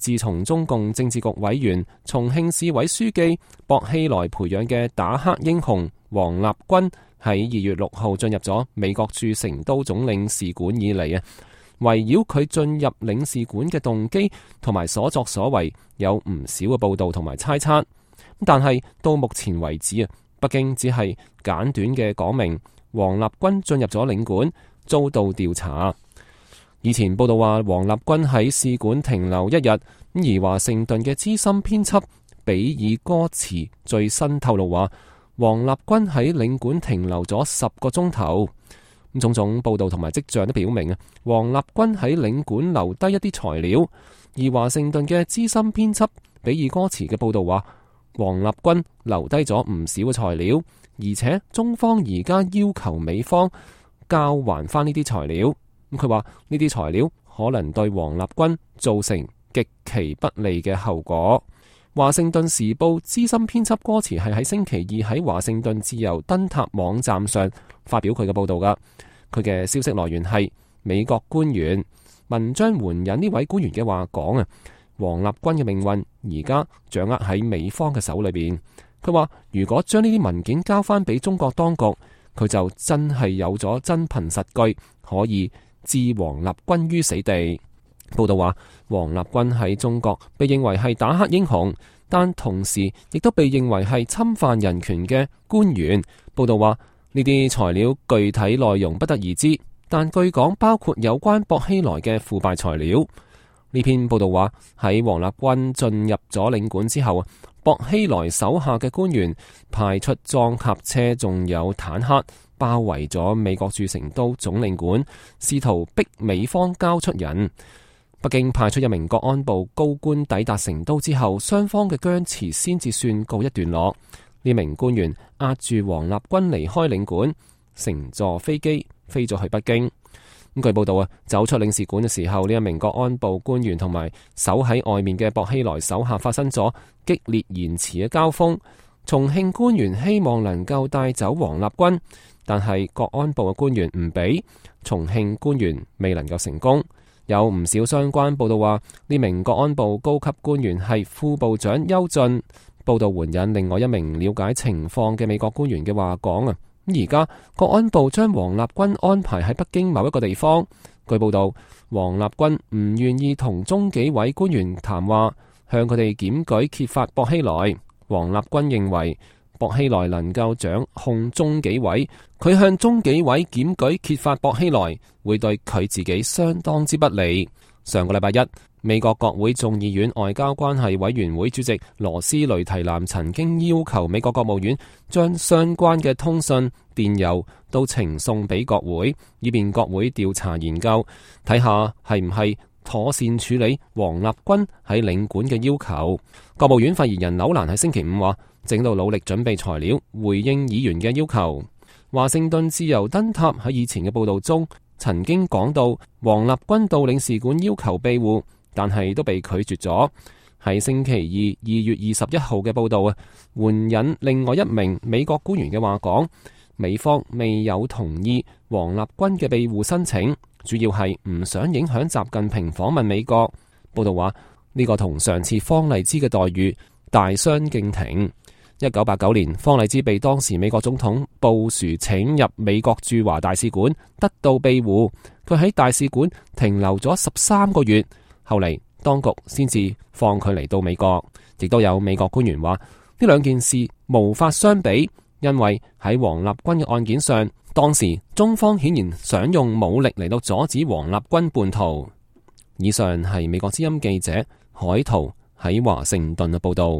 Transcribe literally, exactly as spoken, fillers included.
自從中共政治局委員、重慶市委書記薄熙來培養嘅打黑英雄王立軍喺二月六號進入咗美國駐成都總領事館以嚟啊，圍繞佢進入領事館嘅動機同埋所作所為，有唔少嘅報道同埋猜測。但係到目前為止啊，北京只係簡短嘅講明王立軍進入咗領館，遭到調查。以前報道話王立軍喺使館停留一日，而華盛頓嘅資深編輯比爾戈茨最新透露話，王立軍喺領館停留咗十個鐘頭。咁種種報道同埋跡象都表明啊，王立軍喺領館留低一啲材料。而華盛頓嘅資深編輯比爾戈茨嘅報道話，王立軍留低咗唔少嘅材料，而且中方而家要求美方交還翻呢啲材料。咁佢話呢啲材料可能對王立軍造成極其不利嘅後果。華盛頓時報資深編輯戈茨係喺星期二喺華盛頓自由燈塔網站上發表佢嘅報道噶。佢嘅消息來源係美國官員。文章援引呢位官員嘅話講啊，王立軍嘅命運而家掌握喺美方嘅手裏邊。佢話如果將呢啲文件交翻俾中國當局，佢就真係有咗真憑實據，可以置王立軍於死地。報道話，王立軍喺中國被認為係打黑英雄，但同時亦都被認為係侵犯人權嘅官員。報道話，呢啲材料具體內容不得而知，但據講包括有關薄熙來嘅腐敗材料。呢篇報道話，喺王立軍進入咗領館之後，薄熙來手下嘅官員派出裝甲車，仲有坦克，包圍咗美國駐成都總領館，試圖逼美方交出人。北京派出一名國安部高官抵達成都之後，雙方嘅僵持先至算告一段落。呢名官員押住王立軍離開領館，乘坐飛機飛咗去北京。咁據報道啊，走出領事館嘅時候，呢一名國安部官員同埋守喺外面嘅薄熙來手下發生咗激烈言辭嘅交鋒。重慶官員希望能夠帶走王立軍，但係國安部嘅官員唔俾，重慶官員未能夠成功。有唔少相關報道話，呢名國安部高級官員係副部長邱進。報道援引另外一名了解情況嘅美國官員嘅話講啊，而家國安部將王立軍安排喺北京某一個地方。據報道，王立軍唔願意同中紀委官員談話，向佢哋檢舉揭發薄熙來。王立軍認為薄熙來能夠掌控中紀委，佢向中紀委檢舉揭發薄熙來會對佢自己相當之不利。上個禮拜一，美國國會眾議院外交關係委員會主席羅斯雷提南曾經要求美國國務院將相關嘅通訊電郵都呈送俾國會，以便國會調查研究，睇下係唔係妥善處理王立軍喺領館嘅要求。國務院發言人紐蘭喺星期五話，正到努力準備材料回應議員嘅要求。華盛頓自由燈塔喺以前嘅報道中曾經講到，王立軍到領事館要求庇護，但係都被拒絕咗。喺星期二二月二十一號嘅報道啊，援引另外一名美國官員嘅話講，美方未有同意王立軍嘅庇護申請，主要係唔想影響習近平訪問美國。報道話呢個同上次方勵之嘅待遇大相徑庭。一九八九年，方勵之被當時美國總統布殊請入美國駐華大使館，得到庇護。佢喺大使館停留咗十三個月，後嚟當局先至放佢嚟到美國。亦都有美國官員話，呢兩件事無法相比，因為喺王立軍嘅案件上，當時中方顯然想用武力嚟到阻止王立軍叛逃。以上係美國之音記者海濤喺華盛頓嘅報道。